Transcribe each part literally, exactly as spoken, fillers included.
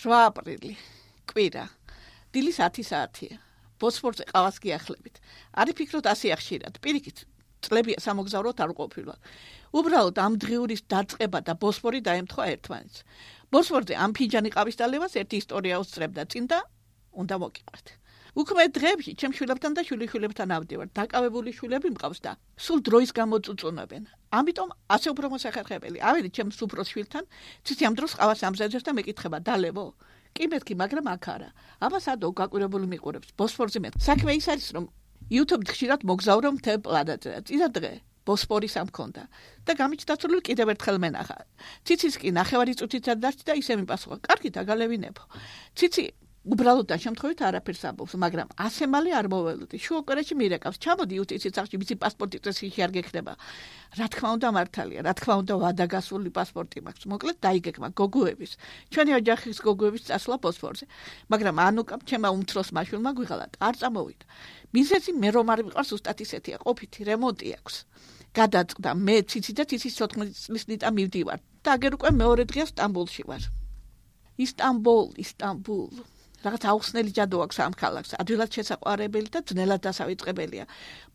რვა აპრილი, კვირა, დილის ათი საათია. ბოსფორზე ყავას გიახლებით. არის ფიქრობთ ასე ახშირად. პირიქით, წლებია სამოგზაუროდ არ ყოფილა. უბრალოდ ამ დღიურის დაწყება და ბოსფორი დაემთხვა ერთმანეთს. ბოსფორზე ამ ფინჯანი ყავის დალევას ერთი ისტორია უსწრებდა წინ და უნდა მოგიყვეთ. უქმე დღეებში ჩემ შვილებთან და შვილიშვილებთან ავდივარ. დაკავებული შვილები მყავს და სულ დროის გამოწუწუნებენ. ამიტომ ასე უფრო მოსახერხებელი. ავედი ჩემს უფროს შვილთან, ციცი ამ დროს ყავას ამზადებს და მეკითხება დალევო. კი მეთქი, მაგრამ აქ არა. აბა სადო გაკვირვებული მიყურებს. ბოსფორზე მე. საქმე ის არის, რომ YouTube-თ ხშირად მოგზაურო მთელ პლანეტაზე. წინა დღე ბოსფორის ამ მქონდა და გამიჩნდა სულ კიდევ ერთხელ მენახა. ციცის კი ნახევარი წუთით დარჩა და ისე მიპასუხა. კარგი, დაგალევინებო. ციცი უბრალოდ და შემთხვევით არაფერს ამბობს, მაგრამ ასე მალე არ მოველოდი. შუაკვირაში მირეკავს. ჩამოდი უტიცის სახში, მისი პასპორტი წესში არ გექნება. რა თქმა უნდა მართალია, რა თქმა უნდა ვადაგასული პასპორტი მაქვს. მოკლედ დაიგეგმა გოგოების. ჩვენი ოჯახის გოგოების წასვლა ბოსფორზე. მაგრამ ანუკამ ჩემმა უმცროს მაშვილმა გვიღალა, არ წამოვიდა. მიზეზი მე რომ არ ვიყავს ზუსტად ისეთია, ყოფითი რემონტი აქვს. გადაწყდა მე ციცი და ციცის თოთხმეტი წლის ნიტა მივდივარ. და აგერ უკვე მეორე დღეა სტამბოლში ვარ. ისტამბოლ, ისტამბულ. რაღაც აუხსნელი ჯადო აქვს ამ ქალაქს, ადვილად შესაყვარებელი და ძნელად დასავიწყებელია.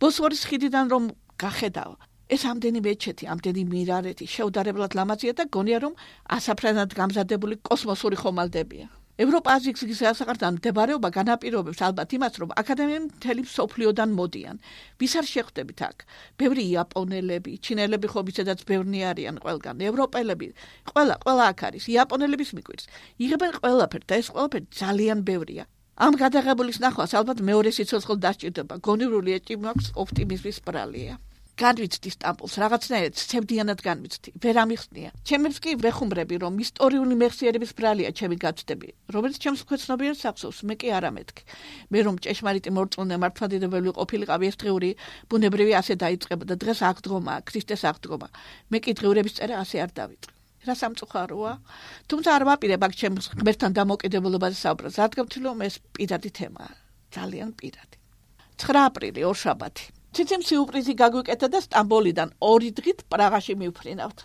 ბოსფორის ხიდიდან რომ გახედავ, ეს ამდენი მეჩეთი, ამდენი მინარეთი შეუდარებლად ლამაზია და გონია რომ ასაფრენად გამზადებული კოსმოსური ხომალდებია. ევროპა-აზიის გზის გასაყართან მდებარეობა განაპირობებს ალბათ იმას, რომ აქადემიამ მთელი მსოფლიოდან მოდიან. ვის არ შეხვდებით აქ? ბევრი იაპონელები, ჩინელები ხო ისედაც ბევრნი არიან ყველგან, ევროპელები, ყველა, ყველა აქ არის, იაპონელების მიკვირს. იღებენ ყველაფერს და ეს ყველაფერი ძალიან ბევრია. ამ გადაღებულის ნახვას ალბათ მეორე სიცოცხლე დასჭირდება. გონივრული ეჭვი მაქვს ოპტიმიზმის ბრალია. განვიცდი სტამბოლს, რაღაცნაირად ცემდიანად განვიცდი. ვერ ამიხსნია. ჩემებს კი ვეხუმრები, რომ ისტორიული მეხსიერების ბრალია ჩემი გაცდები, რომელიც ჩემს ქვეცნობიერ სახსოვს, მე კი არა მეთქი. მე რომ ჭეშმარიტი მორწმუნე მართლმადიდებელი ყოფილიყავი, ეს დღიური ბუნებრივი ასე დაიწყებოდა. დღეს აქ დგომა, ქრისტეს აქ დგომა. მე კი დღიურების წერა ასე არ დავიწყე. რა სამწუხაროა? თუმცა არ ვაპირებ აქ ჩემს ღმერთთან დამოკიდებულობაზე საუბრას, რადგან ვთვლი, რომ ეს პირადი თემაა, ძალიან პირადი. ცხრა აპრილი, ორშაბათი. ციციმ სიუპრიზი გაგვიკეთა და სტამბოლიდან ორი დღით პრაღაში მივფრინავთ.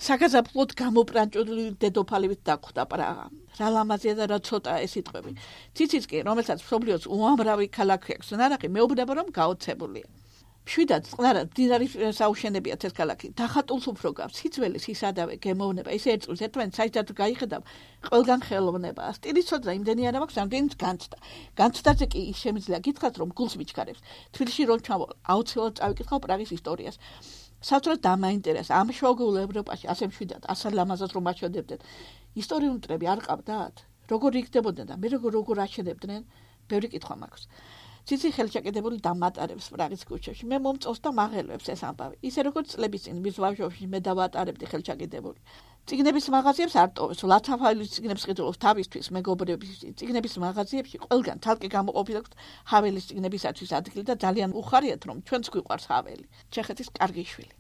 საგაზაფხულოდ გამოპრანჭული დედოფალივით დაგვხვდა პრაღა. რა ლამაზია და რა ცოტა ეს სიტყვები. ციციც კი, რომელსაც მსოფლიოს უამრავი ქალაქი აქვს ნანახი, მეუბნება რომ გაოცებულია. მშვიდად წყნარად მდინარის საუშენებიათ ეს ქალაქი. დახატულს უფრო გავს, სიძველეს ისადავე გემოვნება, ისე ერწყმის ერთმანეთს საერთოდ გაიხედავ, ყველგან ხელოვნება. სტილის ცოდნა იმდენი არ მაქვს, რამდენიც განცდა. განცდაზე კი ის შემიძლია გითხრათ, რომ გულს მიჩქარებს. თბილისში რომ ჩამოვალ, აუცილებლად წავიკითხავ პრაღის ისტორიას. საოცრად დამაინტერესა ამ შუაგულ ევროპაში ასე მშვიდად, ასე ლამაზად რომ აჩვენებდნენ. ისტორიული მტრები არ ყავდათ? როგორ იქნებოდნენ და მე როგორ როგორ აჩვენებდნენ? ბევრი კითხვა მაქვს. ციცი ხელშეკედებული დამატარებს პრაღის ქუჩებში. მე მომწონს და მაღელვებს ეს ამბავი. ისე როგორც წლების წინ მის ბავშვობაში მე დავატარებდი ხელშეკედებული. წიგნების მაღაზიებს არ ტოვებს, ლათაფაილის წიგნებს ყიდულობს თავისთვის, მეგობრების წიგნების მაღაზიებში ყველგან თალკი გამოყოფილი აქვს ჰაველის წიგნებისათვის ადგილი და ძალიან უხარიათ, რომ ჩვენც გვიყვარს ჰაველი. ჩეხეთის კარგი შვილი.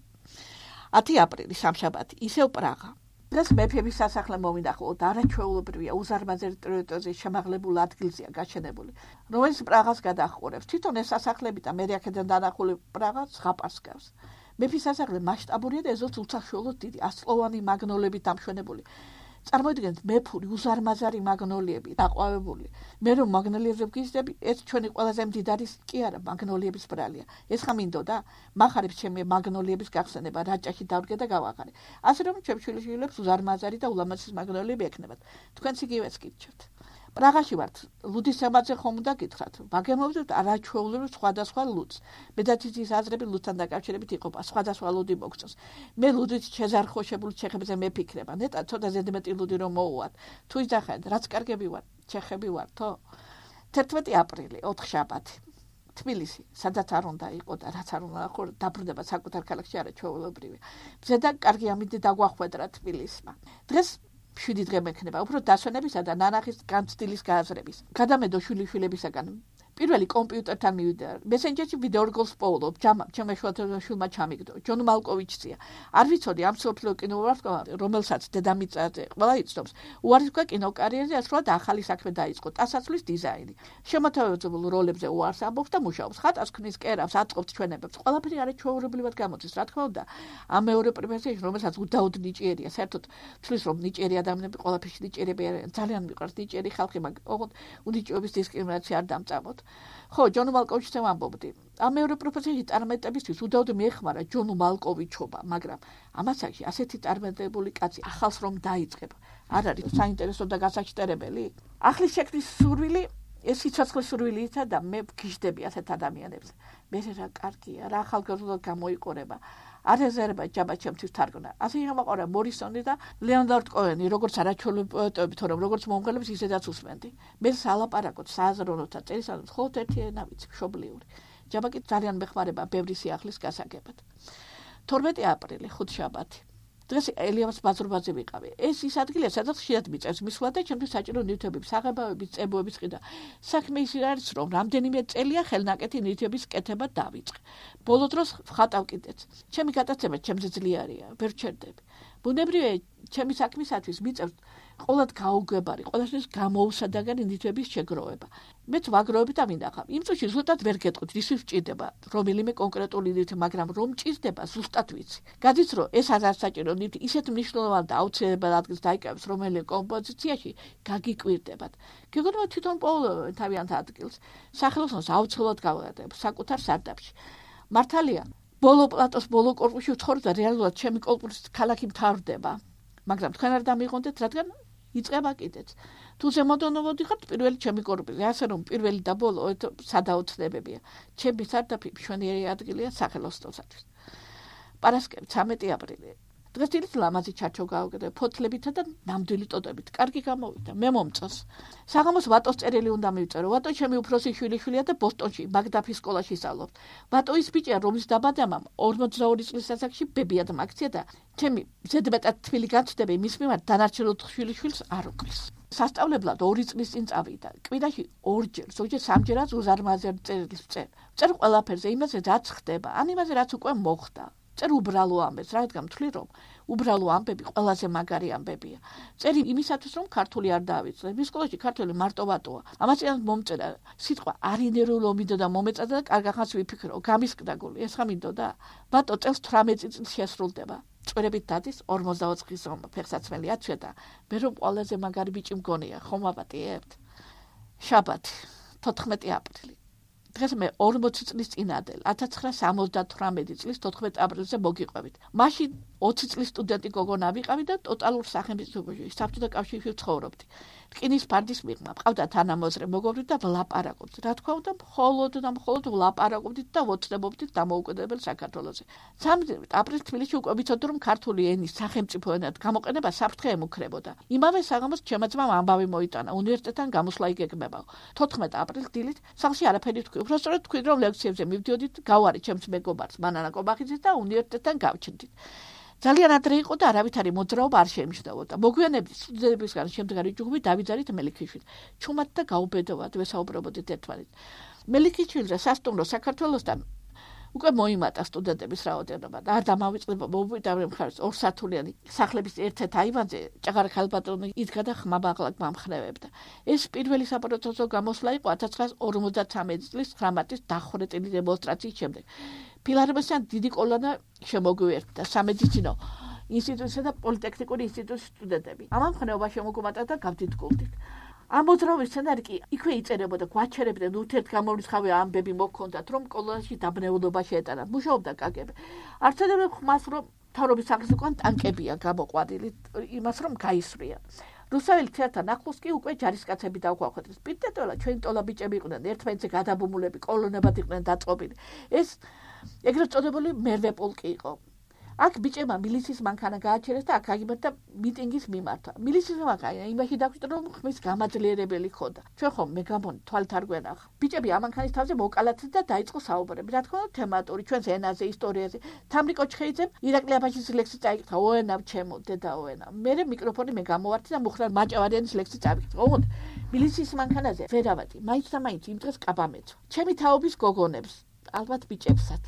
ათი აპრილი, სამშაბათი, ისევ პრაღა. დღეს მეფების სასახლე მოვინახულოთ, არაჩვეულებრივია, უზარმაზარი ტერიტორიის შემაღლებულ ადგილზეა გაშენებული, რომელიც პრაღას გადაჰყურებს. თვითონ ეს სასახლები და მე აქედან დანახული პრაღა ზღაპარს გავს. მეფის სასახლე მასშტაბურია და ეზოც უსახშუალოდ დიდი, ასწლოვანი მაგნოლიებით დამშვენებული. წარმოიდგინეთ, მეფური უზარმაზარი მაგნოლიები დაყვავებული. მე რომ მაგნოლიებზე ვგიზდები, ეს ჩვენი ყველაზე მდიდარი კი არა, მაგნოლიების ბრალია. ეს ხა მინდოდა, მახარებს ჩემი მაგნოლიების გახსენება, რაჭაში დავდგე და გავაღარე. ასე რომ ჩემ შვილიშვილებს უზარმაზარი და ულამაზესი მაგნოლიები ექნებათ. თქვენც იგივეც გიჩვენთ. პრაღაში ვართ, ლუდის თემაზე ხომ უნდა გითხრათ. ვაგემოვებთ არაჩვეულებრივ სხვადასხვა ლუდს. მე და ციცის აზრები ლუდთან დაკავშირებით იყოფა, სხვადასხვა ლუდი მოგწონს. მე ლუდით შეზარხოშებული ჩეხებზე მეფიქრება, ნეტა ცოტა ზედმეტი ლუდი რომ მოუვათ. თუ იძახეთ, რაც კარგები ვარ, ჩეხები ვართო. თერთმეტი აპრილი, ოთხშაბათი. თბილისი, სადაც არ უნდა იყო და რაც არ უნდა ხო დაბრუნება საკუთარ ქალაქში არაჩვეულებრივი. ზედა კარგი ამინდი დაგვახვედრა თბილისმა. დღეს შვიდი დღე მექნება, უფრო დასვენებისა და ნანახის განცდილის გააზრების. გადამედო შვილიშვილებისაგან პირველი კომპიუტერთან მივიდა. მესენჯერში ვიდეო რგოლს პოულობ, ჯამა, ჩემმა შვილმა ჩამიგდო. ჯონ მალკოვიჩია. არ ვიცოდი ამ სოფლიო კინოვარსკვლავი, რომელსაც დედამიწაზე ყველა იცნობს. უარის თქვა კინოკარიერაზე ასრულად ახალი საქმე დაიწყო. ტასაცვლის დიზაინი. შემოთავაზებულ როლებზე უარს ამბობს და მუშაობს. ხატას ქმნის, კერავს, აწყობს ჩვენებებს. ყველაფერი არის ჩვეულებრივად გამოდის. რა თქმა უნდა, ამ მეორე პროფესიაში, რომელსაც უდაოდ ნიჭიერია, საერთოდ თვლის რომ ნიჭიერი ადამიანები ყველაფერში ნიჭიერები არიან. ძალიან მიყვარს ნიჭიერი ხალხი, მაგრამ ოღონდ უნიჭიობის დისკრიმინაცია არ დამწამოთ. ხო, ჯონ მალკოვიჩთან ვამბობდი. ამ მეორე პროფესიაში წარმატებისთვის უდაოდ მიეხმარა ჯონ მალკოვიჩობა, მაგრამ ამასაკში ასეთი წარმატებული კაცი ახალს რომ დაიწყებ, არ არის საინტერესო და გასაჩტერებელი. ახლის შექმნის სურვილი, ეს სიცოცხლის სურვილითა და მე ვგიჟდები ასეთ ადამიანებს. მე რა კარგია, რა ახალგაზრდად გამოიყურება. არ ეზერება ჯაბა ჩემთვის თარგმნა. ასე შემოყარა მორისონი და ლეონარდ კოენი, როგორც არაჩვეული პოეტები, თორემ როგორც მომღერლებს ისედაც უსმენდი. მე სალაპარაკოთ სააზროვნოთა წერისას მხოლოდ ერთი ენა ვიცი, მშობლიური. ჯაბა კი ძალიან მეხმარება ბევრი სიახლის გასაგებად. თორმეტი აპრილი, ხუთშაბათი. დღეს ელიავას ბაზრობაზე ვიყავი. ეს ის ადგილია, სადაც ხშირად მიწევს მისვლა და ჩემთვის საჭირო ნივთების, საღებავების, წებოების ყიდა. საქმე ის არის, რომ რამდენიმე წელია ხელნაკეთი ნივთების კეთება დავიწყე. ბოლო დროს ვხატავ კიდეც. ჩემი გატაცება ჩემზე ძლიერია, ვერ ჩერდები. ბუნებრივია, ჩემი საქმისათვის მიწევს ყოველად გაუგებარი, ყველასთვის გამოუსადაგარი ნივთების შეგროვება. მეც ვაგროვებ და მინახავ. იმ წუთში ზუსტად ვერ გეტყვით, რის ვჭირდება რომელიმე კონკრეტული ნივთი, მაგრამ რომ ჭირდება, ზუსტად ვიცი. გადის, რომ ეს არ საჭირო ნივთი ისეთ მნიშვნელოვან და აუცილებელ ადგილს დაიკავებს რომელიმე კომპოზიციაში, გაგიკვირდებათ. გეგონება თვითონ პოულობენ თავიანთ ადგილს. სახელოსნოს აუცილებლად გავადებ საკუთარ სარდაფში. მართალია, ბოლო პლატოს ბოლო კორპუსში ვცხოვრობ და რეალურად ჩემი კორპუსის ქალაქი მთავრდება. მაგრამ თქვენ არ დამიღონდეთ, რადგან იწყება კიდეც. თუ ზემოდან მოდიხართ პირველი ჩემი კორპუსი, ასე რომ პირველი და ბოლო სადაოცნებებია. ჩემი სარდაფი მშვენიერი ადგილია სახელოსნოსათვის. პარასკევი ცამეტი აპრილი. დღეს დილით ლამაზი ჩარჩო გავუკეთე ფოთლებითა და ნამდვილი ტოტებით. კარგი გამოვიდა, მე მომწონს. საღამოს ვატოს წერილი უნდა მივწერო. ვატო ჩემი უფროსი შვილიშვილია და ბოსტონში, მაგდაფის სკოლაში სწავლობს. ვატო ის ბიჭია, რომლის დაბადებამ ორმოცდაორი წლის ასაკში ბებიად მაგცია და ჩემი ზედმეტად თბილი განცდები მის მიმართ დანარჩენ ოთხ შვილიშვილს არ უკრის. სასწავლებლად ორი წლის წინ წავიდა. კვირაში ორჯერ, ზოგჯერ სამჯერაც უზარმაზარ წერილს წერ. წერ ყველაფერზე, იმაზე რაც ხდება, ან იმაზე რაც უკვე მოხდა. წერ უბრალო ამბებს, რადგან მთვლი რომ უბრალო ამბები ყველაზე მაგარი ამბებია. წერი იმისათვის რომ ქართული არ დავიწყე. მის სკოლაში ქართული მარტო ვატოა. ამასიანად მომწერა სიტყვა არინერულო მინდოდა მომეწადა და კარგახანს ვიფიქრო. გამისკდა გული, ეს ხა მინდოდა. ვატო წელს თვრამეტი წლის შესრულდება. წვერებით დადის ორმოცდაოთხ წლის ფეხსაცმელი აცვია და მე რომ ყველაზე მაგარი ბიჭი მგონია, ხომ ვაპატიებთ? შაბათი, თოთხმეტი აპრილი. დღეს მე ორმოცი წლის წინადელ, ათას ცხრაასი სამოცდათვრამეტი წლის თოთხმეტი აპრილზე მოგიყვებით. მაშინ ოცი წლის სტუდენტი გოგონა ვიყავი და ტოტალურ სახელმწიფოში, საბჭოთა კავშირში ვცხოვრობდი. რკინის ფარდის მიღმა, მყავდა თანამოძღვრე, მოგობრდით და ვლაპარაკობდით. რა თქმა უნდა, მხოლოდ და მხოლოდ ვლაპარაკობდით და ვოცნებობდით დამოუკიდებელ საქართველოზე. სამდევრით აპრილს თბილისში უკვე ვიცოდი, რომ ქართული ენის სახელმწიფო ენად გამოყენება საფრთხე ემუქრებოდა. იმავე საღამოს ჩემმა ძმამ ამბავი მოიტანა, უნივერსიტეტთან გამოსვლა იგეგმებაო. თოთხმეტი აპრილს დილით სახლში არაფერი თქვი. უბრალოდ თქვი, რომ ლექციებზე მივდიოდით, გავარი ჩემს მეგობარს, მანანა კობახიძეს და უნივერსიტეტთან გავჩნდით. ძალიან ადრე იყო და არავითარი მოძრაობა არ შეიმჩნეოდა. მოგვიანებით სტუდენტებისგან შემდგარი ჯგუფი დავიძარით მელიქიშვილს. ჩუმად და გაუბედოვად ვესაუბრობოდით ერთმანეთს. მელიქიშვილზე სასტუმრო საქართველოსთან უკვე მოიმატა სტუდენტების რაოდენობა და არ დამავიწყდება მოვიტანე მხარს ორსართულიანი სახლების ერთ-ერთ აივანზე ჭაღარ ხალბატონი იდგა და ხმაბაღლა გამხრევებდა. ეს პირველი საპროტესტო გამოსვლა იყო ათას ცხრაასი ორმოცდათვრამეტი წლის ცხრამეტის დახვრეტილი დემონსტრაციის შემდეგ. ფილარმონიასთან დიდი კოლონა შემოგვიერთდა სამედიცინო ინსტიტუტისა და პოლიტექნიკური ინსტიტუტის სტუდენტები. ამან ხნეობა შემოგვიმატა და გავდიდგულდით. ამ მოძრაობის სცენარი კი იქვე იწერებოდა, გვაჩერებდნენ ურთიერთგამორიცხავი ამბები მოქონდათ, რომ კოლონიაში დაბნეულობა შეეტანათ. მუშაობდა კაგები. არცერდება ხმას, რომ მთავრობის სახლის უკან ტანკებია გამოყვანილი, იმას რომ გაისვრიან. რუსაველი თეატრთან ახლოს კი უკვე ჯარისკაცები დაუქვახვეთეს. პირდაპირ ჩვენი ტოლა ბიჭები იყვნენ, ერთმანეთზე გადაბმულები, კოლონებად იყვნენ დაწყობილი. ეს ეგრეთ წოდებული მერვე პოლკი იყო. აქ ბიჭებმა მილიციის მანქანა გააჩერეს და აქ აგიმართა მიტინგის მიმართა. მილიციის მანქანა იმაში დაგვიჭდა რომ ხმის გამაძლიერებელი ხოდა. ჩვენ ხომ მე გამონი თვალით არ გვენახა. ბიჭები ამ მანქანის თავზე მოკალათდნენ და დაიწყო საუბრები. რა თქმა უნდა თემატური ჩვენს ენაზე, ისტორიაზე. თამრიკო ჩხეიძემ ირაკლი აბაშიძის ლექსი წაიკითხა ოენავ ჩემო დედაო ენა. მე მიკროფონი მე გამოვარდი და მუხრან მაჭავარიანის ლექსი წავიკითხა. ოღონდ მილიციის მანქანაზე ვერავადი. მაინც და მაინც იმ დღეს კაბამეცო. ჩემი თაობის გოგონებს, ალბათ ბიჭებსაც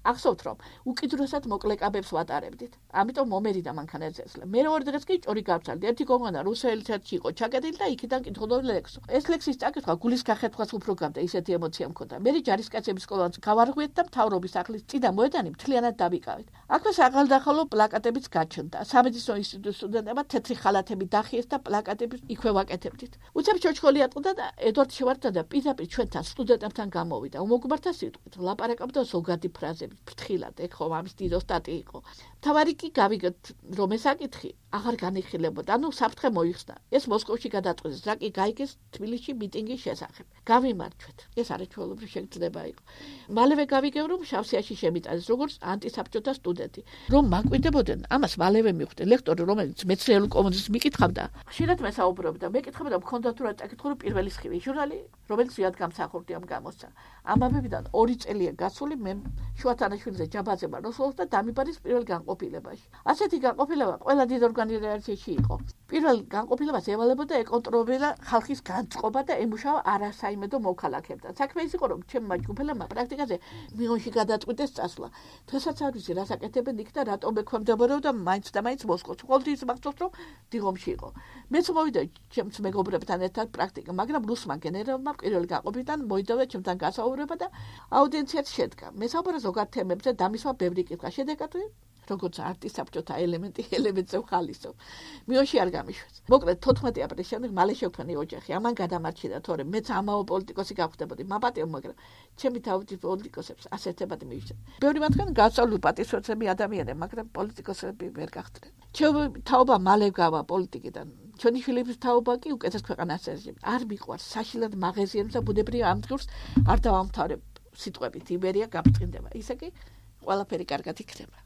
ახსოვთ რომ უკიდურესად მოკლეკაბებს ვატარებდით. ამიტომ მომერიდა მანქანაზე ესლა. მე ორი დღეს კი ჭორი გავცალდი. ერთი გოგონა რუსელი თეთრში იყო ჩაკეტილი და იქიდან კითხულობდა ლექსო. ეს ლექსის წაკითხვა გულის გახეთხვას უფრო გამდა, ისეთი ემოცია მქონდა. მე ჯარისკაცების სკოლას გავარღვიეთ და მთავრობის სახლის წინა მოედანი მთლიანად დავიკავეთ. აქვე საღალდახალო პლაკატებიც გაჩნდა. სამედიცინო ინსტიტუტის სტუდენტებმა თეთრი ხალათები დახიეს და პლაკატები იქვე ვაკეთებდით. უცებ ჩოჩხოლი ატყდა და ედვარდ შევარდნა და პირდაპირ ჩვენთან სტუდენტებთან გამოვიდა. უმოგბართა სიტყვით ლაპარაკობდა ზოგადი ფრაზები. ფრთხილად ეხო ამის დიდო სტატი იყო. თავარი კი გავიგეთ რომ ეს აკითხი აღარ განიხილებოდა. ანუ საფრთხე მოიხსნა. ეს მოსკოვში გადაწყვეტეს, რა კი გაიგეს თბილისში მიტინგის შესახებ. გავიმარჯვეთ. ეს არაჩვეულებრივი შეგრძნება იყო. მალევე გავიგებ რომ შავსიაში შემიტანეს როგორც ანტისაბჭოთა სტუდენტი. რომ მაკვირდებოდნენ, ამას მალევე მიხვდე. ლექტორი რომელიც მეცნიერულ კომუნიზმს მიკითხავდა, ხშირად მესაუბრობდა. მეკითხებოდა მქონდა თუ რა წაკითხო რომ პირველი სხივი ჟურნალი რომელიც ვიად გამსახურდი ამ გამოსცა. ამავებიდან ორი წელია გასული მე შუათანაშვილზე ჯაბაძება როსოლს და დამიბარის პირველ განყოფილებაში. ასეთი განყოფილება ყველა დიდ ორგანიზაციაში იყო. პირველ განყოფილებას ევალებოდა ეკონტროლებდა ხალხის განწყობა და ემუშავა არასაიმედო მოქალაქეებთან. საქმე ის იყო რომ ჩემმა ჯგუფელებმა პრაქტიკაზე მიონში გადაწყვიტეს წასვლა. დღესაც არ ვიცი რას აკეთებენ იქ და რატომ ექვემდებარებოდა მაინც და მაინც მოსკოვს. ყოველთვის ის მახსოვს რომ დიღომში იყო. მეც მოვიდა ჩემს მეგობრებთან ერთად პრაქტიკა, მაგრამ რუსმა გენერალმა პირველ განყოფილიდან მოიდოვა ჩემთან გასაუბრება და აუდიენციაც შედგა. მესაუბრა ზოგად თემებზე დამისვა ბევრი კითხვა. შედეგად როგორც არტისაბჭოთა ელემენტი ელემენტზე ვხალისო. მიონში არ გამიშვეს. მოკლედ თოთხმეტი აპრილის შემდეგ მალე შევქმნი ოჯახი. ამან გადამარჩინა თორემ მეც ამაო პოლიტიკოსი გავხდებოდი. მაპატიო მაგრამ ჩემი თავის პოლიტიკოსებს ასეთებად მივიჩნდა. ბევრი მათგანი გასწავლული პატისოცები ადამიანები, მაგრამ პოლიტიკოსები ვერ გახდნენ. ჩემი თაობა მალე გავა პოლიტიკიდან. ჩვენი შვილების თაობა კი უკეთეს ქვეყანას ეძებდა. არ მიყვარს საშინლად მაღაზიებს და ბუნებრივ ამ დღეს არ დავამთავრებ სიტყვებით იბერია გაბწყინდება. ისე კი ყველაფერი კარგად იქნება.